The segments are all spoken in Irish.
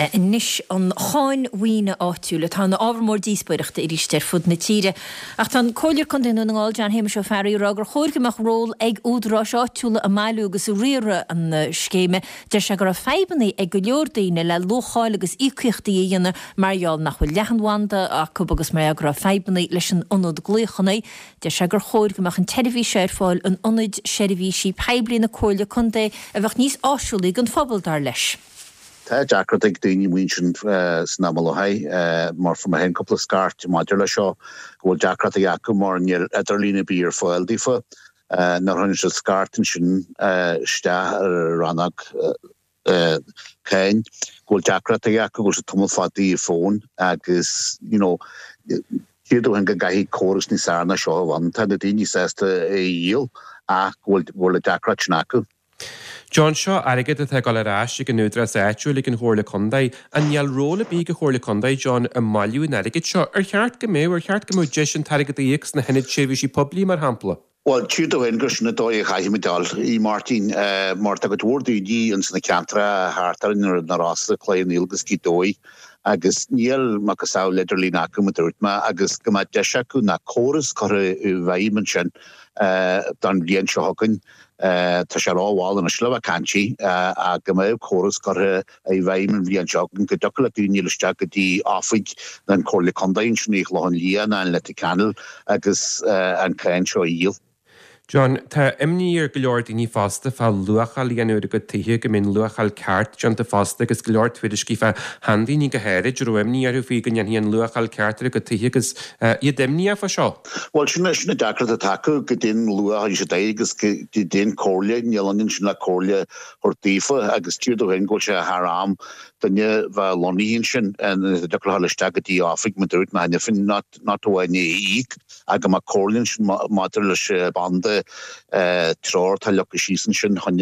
Anois an cháin mhaoine áitiúil atá ina ábhar mór díospóireachta arís ar fud na tíre. Ach tá an Comhairleoir Contae Dhún na nGall, John Shéamuis Ó Fearraigh, ag rá gur chóir go mbeadh ról ag údaráis áitiúla i mbailiú agus i riaradh an scéime. Deir sé go raibh fadhbanna ag go leor daoine le luacháil agus íocaíochtaí a dhéanamh mar gheall nach bhfuil leathanbhanda acu agus mar gheall go raibh fadhbanna leis an ionad glaochanna. Deir sé gur chóir go mbeadh an tseirbhís seo ar fáil in ionaid seirbhísí poiblí na Comhairle Contae a bheadh níos áisiúlaí don phobal, dar leis. Tá deacracht ag daoine amuigh ansin san am i láthair mar fuair mé féin cúpla scairt maidir leis seo go bhfuil deacrachtaí acu mar níl idirlíon ar bith ar fáil daofa. Nuair a chuireann siad scairt ansin isteach ar an rannóg cáin go bhfuil deacrachtaí acu, go bhfuil siad tamall fada ar fón agus you know tchítear dúinn go gcaithfidh córas níos fearr ná seo a bheith ann. Tá na daoine sásta é a dhíol ach go bhfuil an deacracht sin acu. John, seo airgead atá ag dul ar ais ag an údarás áitiúil, ag an Chomhairle Contae. An níl ról ar bith ag an Chomhairle Contae, John, i mbailiú an airgid seo? Ar cheart go mbeadh? Ar cheart go mbeadh deis an t-airgead a íoc sna hionaid seirbhísí poiblí, mar shampla? Bhuel, tchítear dúinn gur sin an dóigh a chaithfimid dul, a Mháirtín, mar tá cuid mhór daoine ins na ceantracha thart orainn, na Rosa, Cloich Cheann Fhaola agus Gaoth Dobhair, agus níl macasamhail idirlín acu, mar a dúirt mé, agus go mbeadh deis acu ná córas curtha i bhfeidhm ansin don bhliain seo chugainn. Tá sé rómhall anois le bheith ag caint ach go mbeadh córas curtha i bhfeidhm an bhliain seo chugainn go dtiocfadh le daoine dul isteach go dtí oifig na Comhairle Contae ansin i gClochán Liath nó in Leitir Ceanainn agus an cáin seo a dhíol. John, tá imní ar go leor daoine fosta fá luacháil a dhéanamh ar a gcuid tithe, go mbeidh an luacháil ceart déanta fosta agus go leor tuairiscí fá sheandaoine go háirid a raibh imní orthu faoi go ndéanfaí an luacháil ceart ar a gcuid tithe agus iad imníoch fá seo. Bhuel, sin sin an deacracht atá acu, goidé an luach a thabharfaidh siad air agus goidé an comhairle, níl ionann sin le comhairle a thabhairt daofa agus tchítear dúinn go bhfuil sé thar am duine bheith lonnaithe ansin ina dtiocfadh leo dhul isteach go dtí oifig mar dúirt mé cheana féin, not not amháin é a íoc ach go mbeadh comhairle ansin maidir leis an banda treoir atá leagtha síos ansin chun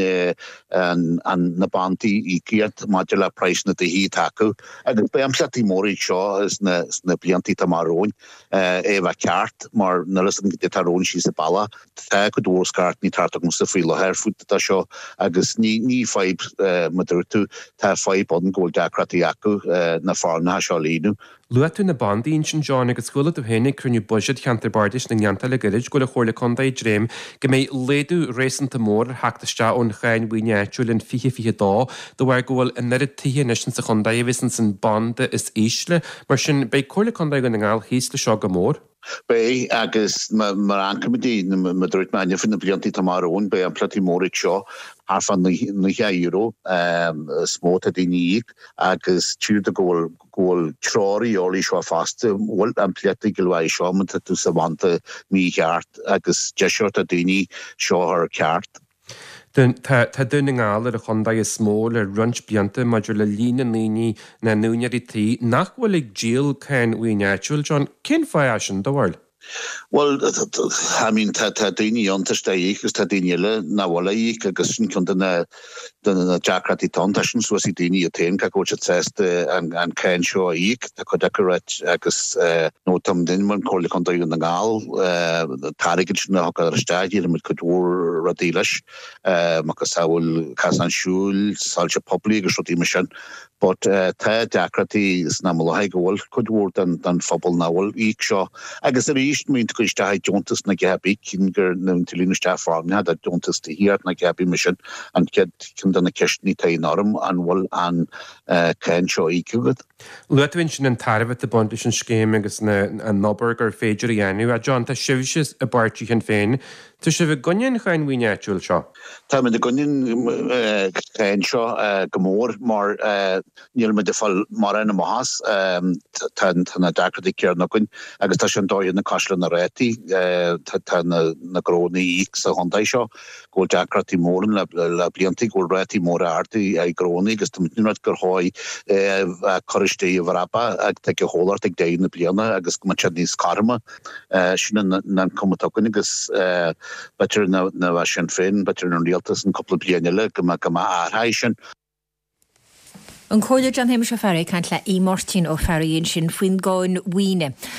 an na bandaí íocaíocht maidir le praghas na dtithe atá acu agus beidh impleachtaí móra ag seo sna sna blianta atá amach romhainn. é a bheith ceart mar níl a fhios agam goidé atá romhainn síos an bealach. Tá cuid mhór scairteanna ag teacht chugamsa faoi láthair fút dá seo agus ní ní fadhb mar dúirt tú, tá fadhb ann go bhfuil deacrachtaí acu na foirmeacha seo a líonadh. Luaigh tú na bandaí ansin John agus chuala tú féin ag cruinniú buiséid Cheantar Bardais na nGleanntach le gairid go bhfuil an Chomhairle Contae ag dréim go mbeidh laghdú réasúnta mór ar theacht isteach ón cháin mhaoine áitiúil in 2022 de bharr go bhfuil an oiread tithe anois insa chontae a bheas ins an banda is ísle. Mar sin, beidh Comhairle Contae Dhún na nGall thíos le seo go mór. Beidh, agus mar a amharcaimid, mar a dúirt mé inniu, faoi na blianta atá amach romhainn, beidh impleachtaí móra ag seo, thart fá €90 is mó atá daoine a íoc agus tchítear go bhfuil go bhfuil treoir a dhíobháil seo fosta, bhfuil impleachtaí go leor seo má tá tú sa bhanda mícheart agus deis a thabhairt do daoine seo a chur ceart. Tá tá Dún na nGall ar an chontae is mó le roinnt blianta maidir le líon na ndaoine, na n-úinéirí tí, nach bhfuil ag díol cáin mhaoine áitiúil. John, cén fáth é sin, do bharúil? Bhuel, I mean, tá tá daoine ann tá siad á íoc agus tá daoine eile nach bhfuil á íoc agus sin ceann de na de na deacrachtaí atá ann. Tá sin suas ag daoine iad féin cé go bhfuil siad sásta an an cáin seo a íoc. Tá cuid acu ag ráit agus nó tá muid mar Chomhairle Contae Dhún na nGall, an t-airgead sin a thugtar isteach, déanaimid cuid mhór rudaí leis, macasamhail casáin siúil, soilse poiblí agus rudaí mar sin. But tá deacrachtaí san am i láthair go bhfuil cuid mhór den phobal nach bhfuil ag íoc seo. Agus arís, má bhíonn tú ag cur isteach deontas nó a dhath ar bith, cinn gur nó tú ag líonadh isteach foirmeacha do deontas tithíochta nó a dhath ar bith mar sin, an chéad ceann de na ceisteanna atá in orm, an bhfuil an cáin seo íoctha agat? Luaigh tú ansin an tairbhe atá ag baint leis an scéim agus an obair gur féidir a dhéanamh. A John, tá sibhse i bpáirtí Shinn Féin. Tá sibh i gcoinne an cháin mhaoine áitiúil seo? Táimid i gcoinne an cháin seo go mór mar níl muid ag fáil mórán amach as. Tá na deacrachtaí céanna againn agus tá sé an dóigh na cosúil le na rátaí. Tá na gnónna ag íoc sa chontae seo. go bhfuil deacrachtaí móra ann le blianta, go bhfuil rátaí móra arda ag gnónna agus tá muid ag rá gur chóir é a chur istigh i bhfrapa ag an chomhlacht ag deireadh na bliana agus go mbeadh sé níos cothroime. Sin an ioncam atá againn agus b'fhéidir nuair a bheidh Sinn Féin, b'fhéidir an rialtas in cúpla bliain eile go mbeadh athraithe sin. An Comhairleoir John Shéamuis Ó Fearraigh ag caint le Aodh Máirtín Ó Fearraigh ansin faoin gcáin mhaoine.